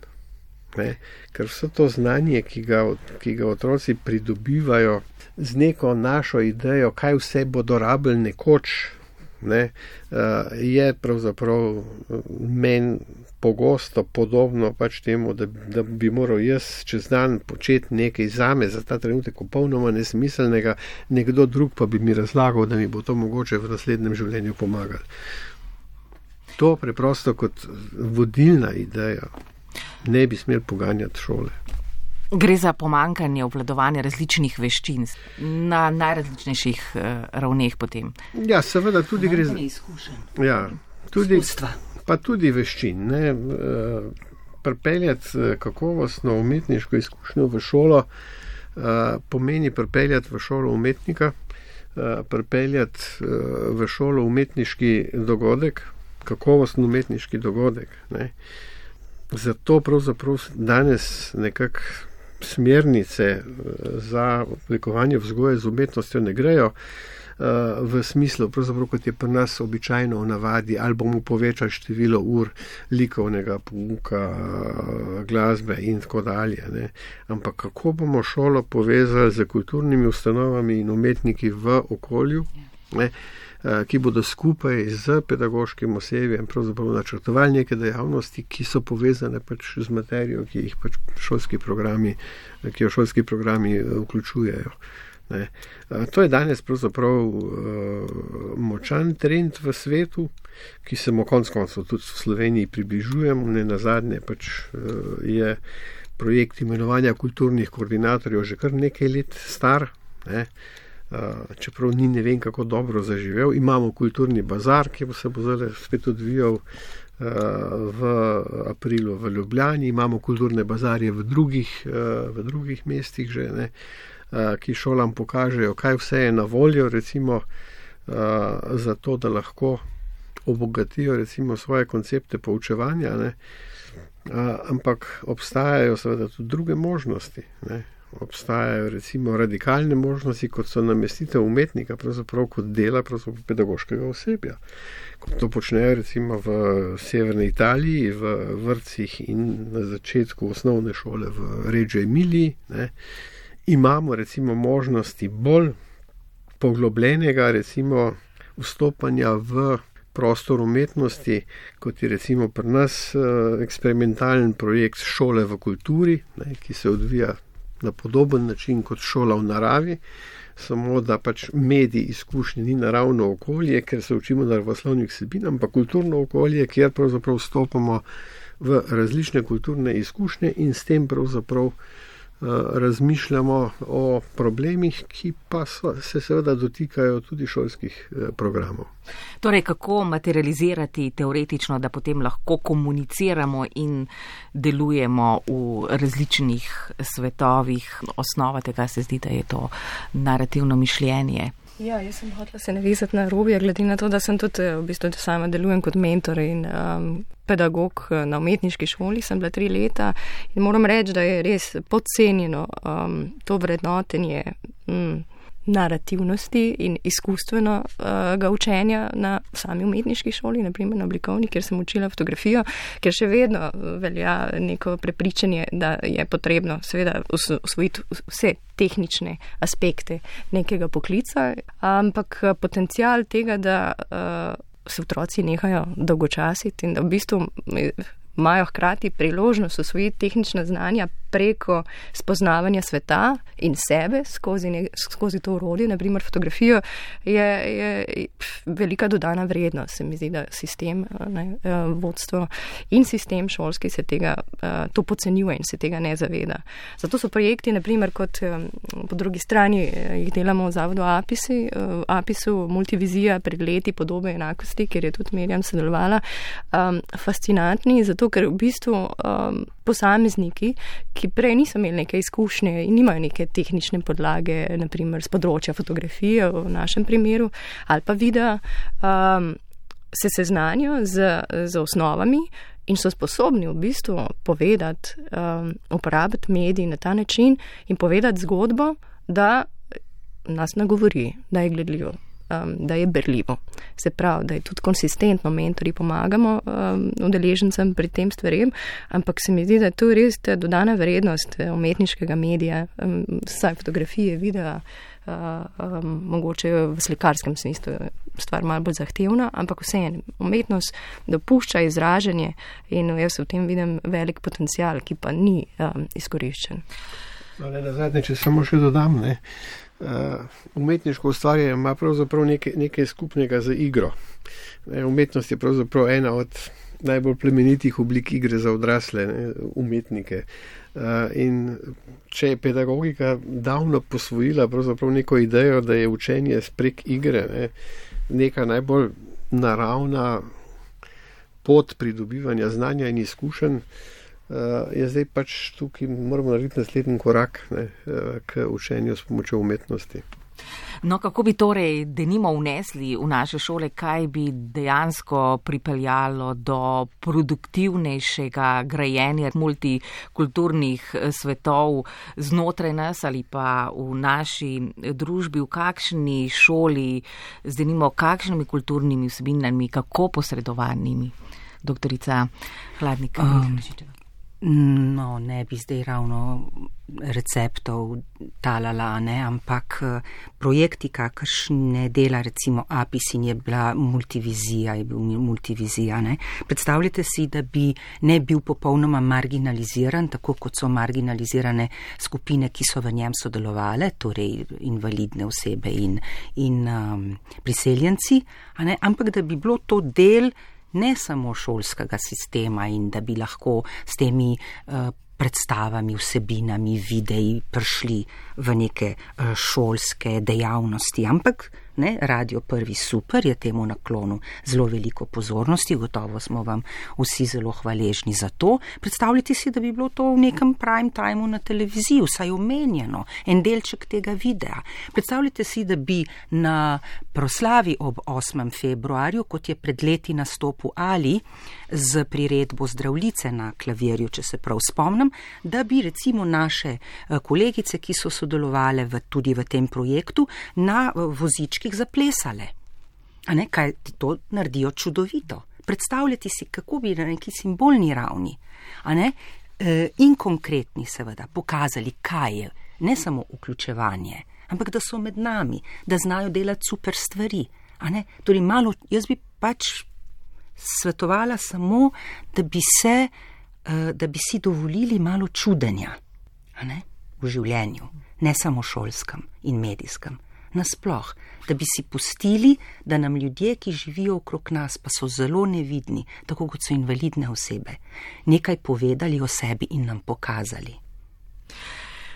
Ne? Ker vse to znanje, ki ga, ki ga otroci pridobivajo z neko našo idejo, kaj vse bodo rabili nekoč, ne, je pravzaprav meni pogosto podobno pač temu, da, da bi moral jaz čez dan početi nekaj zame za ta trenutek popolnoma nesmiselnega, nekdo drug pa bi mi razlagal, da mi bo to mogoče v naslednjem življenju pomagalo. To preprosto kot vodilna ideja ne bi smel poganjati šole. Gre za pomankanje obvladovanja različnih veščin na najrazličnejših uh, ravneh potem. Ja, seveda tudi gre za izkušenj. Ja, tudi Izkustva. Pa tudi veščin, ne, uh, pripeljati kakovostno umetniško izkušnjo v šolo uh, pomeni pripeljati v šolo umetnika, uh, pripeljati uh, v šolo umetniški dogodek, kakovosten umetniški dogodek. Ne. Zato pravzaprav danes nekako smernice za oblikovanje vzgoje z umetnostjo ne grejo v smislu, pravzaprav kot je pri nas običajno v navadi, ali bomo povečali število ur likovnega pouka, glasbe in tako dalje. Ne. Ampak kako bomo šolo povezali z kulturnimi ustanovami in umetniki v okolju, ne, ki bodo skupaj z pedagoškim osebjem pravzaprav načrtovali neke dejavnosti, ki so povezane pač z materijo, ki jih pač šolski programi, ki jo šolski programi vključujejo. Ne. To je danes pravzaprav močan trend v svetu, ki se mu konec koncev tudi v Sloveniji približujemo. Ne nazadnje pač je projekt imenovanja kulturnih koordinatorjev že kar nekaj let star, ne. Čeprav ni ne vem kako dobro zaživel. Imamo kulturni bazar, ki se bo zdaj spet odvijal v aprilu v Ljubljani. Imamo kulturne bazarje v drugih, v drugih mestih že, ne, ki šolam pokažejo, kaj vse je na voljo, recimo, za to, da lahko obogatijo recimo svoje koncepte poučevanja, ne. Ampak obstajajo seveda tudi druge možnosti, ne. Obstajajo recimo radikalne možnosti, kot so namestitev umetnika, pravzaprav kot dela pravzaprav pedagoškega osebja. Kot to počnejo recimo v severni Italiji, v vrtcih in na začetku osnovne šole v Reggio Emiliji, ne. Imamo recimo možnosti bolj poglobljenega recimo vstopanja v prostor umetnosti, kot je recimo pri nas eksperimentalen projekt Šole v kulturi, ne, ki se odvija na podoben način kot šola v naravi, samo da pač medij izkušnje ni naravno okolje, ker se učimo naravoslovnih vsebin, ampak kulturno okolje, kjer pravzaprav vstopamo v različne kulturne izkušnje in s tem pravzaprav razmišljamo o problemih, ki pa so, se seveda dotikajo tudi šolskih programov. Torej, kako materializirati teoretično, da potem lahko komuniciramo in delujemo v različnih svetovih? Osnova tega se zdi, da je to narativno mišljenje. Ja, jaz sem hotela se navezati na Robija, glede na to, da sem tudi v bistvu sama delujem kot mentor in um, pedagog na umetniški šoli, sem bila tri leta in moram reči, da je res podcenjeno um, to vrednotenje um, narativnosti in izkustvenega uh, učenja na sami umetniški šoli, naprimer na oblikovni, kjer sem učila fotografijo, ker še vedno velja neko prepričanje, da je potrebno seveda usvojiti vse tehnične aspekte nekega poklica, ampak potencial tega, da uh, se otroci nehajo dolgočasiti in da v bistvu imajo hkrati priložnost usvojiti tehnična znanja preko spoznavanja sveta in sebe skozi, ne, skozi to orodje, naprimer fotografijo, je, je velika dodana vrednost. Se mi zdi, da sistem, ne, vodstvo in sistem šolski se tega, to podcenjuje in se tega ne zaveda. Zato so projekti, naprimer, kot po drugi strani jih delamo v zavodu APISI, APISu multivizija, pregledi podobe enakosti, kjer je tudi Mirjam sodelovala, fascinantni, zato ker v bistvu um, posamezniki, ki prej niso imeli neke izkušnje in nimajo neke tehnične podlage, naprimer z področja fotografije v našem primeru, ali pa videa, um, se seznanijo z, z osnovami in so sposobni v bistvu povedati, um, uporabiti medij na ta način in povedati zgodbo, da nas nagovori, da je gledljivo. Da je berljivo. Se pravi, da je tudi konsistentno mentori pomagamo um, udeležencem pri tem stvarem, ampak se mi zdi, da je to res dodana vrednost umetniškega medija, um, saj fotografije, videa, uh, um, mogoče v slikarskem smislu stvar malo bolj zahtevna, ampak vseeno umetnost dopušča izražanje in jaz v tem vidim velik potencial, ki pa ni um, izkoriščen. No, ne, na zadnje, če samo še dodam, ne. Uh, umetniško ustvarjanje ima pravzaprav nekaj, nekaj skupnega z igro. Ne, umetnost je pravzaprav ena od najbolj plemenitih oblik igre za odrasle, ne, umetnike. Uh, in če je pedagogika davno posvojila pravzaprav neko idejo, da je učenje prek igre, ne, neka najbolj naravna pot pridobivanja znanja in izkušenj, Uh, je zdaj pač tukaj moramo narediti naslednji korak, ne, uh, k učenju s pomočjo umetnosti. No, kako bi torej denimo vnesli v naše šole, kaj bi dejansko pripeljalo do produktivnejšega grajenja multikulturnih svetov znotraj nas ali pa v naši družbi, v kakšni šoli, z denimo kakšnimi kulturnimi vsebinami, kako posredovanimi, doktorica Hladnik? Um. No, ne bi zdaj ravno receptov talala, ne, ampak projekti, kakršne dela recimo Apisin, je bila multivizija, je bil multivizija, ne. Predstavljate si, da bi ne bil popolnoma marginaliziran, tako kot so marginalizirane skupine, ki so v njem sodelovale, torej invalidne osebe in, in um, priseljenci, a ne, ampak da bi bilo to del ne samo šolskega sistema in da bi lahko s temi uh, predstavami, vsebinami, videi prišli v neke uh, šolske dejavnosti, ampak ne, Radio Prvi super je temu naklonu zelo veliko pozornosti, gotovo smo vam vsi zelo hvaležni za to. Predstavljate si, da bi bilo to v nekem prime timeu na televiziji, vsaj omenjeno, en delček tega videa. Predstavljate si, da bi na proslavi ob osmem februarju, kot je pred leti nastopil Ali z priredbo Zdravljice na klavirju, če se prav spomnim, da bi recimo naše kolegice, ki so sodelovale v, tudi v tem projektu, na vozički zaplesale. A ne, kaj to naredijo čudovito. Predstavljati si, kako bi na neki simbolni ravni, a ne, e, in konkretni seveda pokazali, kaj je ne samo vključevanje, ampak da so med nami, da znajo delati super stvari. A ne, torej malo, jaz bi pač svetovala samo, da bi se, e, da bi si dovolili malo čudenja, a ne, v življenju, ne samo šolskem in medijskem. Nasploh, da bi si pustili, da nam ljudje, ki živijo okrog nas, pa so zelo nevidni, tako kot so invalidne osebe, nekaj povedali o sebi in nam pokazali.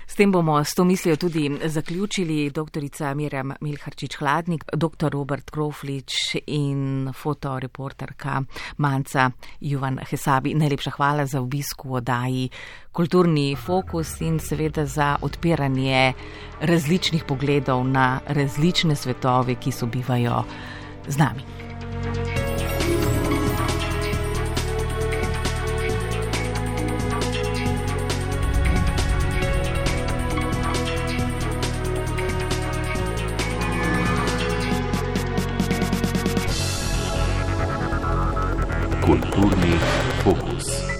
S tem bomo s to mislijo tudi zaključili doktorica Mirjam Milharčič Hladnik, doktor Robert Kroflič in fotoreporterka Manca Juvan Hesabi. Najlepša hvala za obisk v oddaji Kulturni fokus in seveda za odpiranje različnih pogledov na različne svetove, ki sobivajo z nami. Kulturni fokus.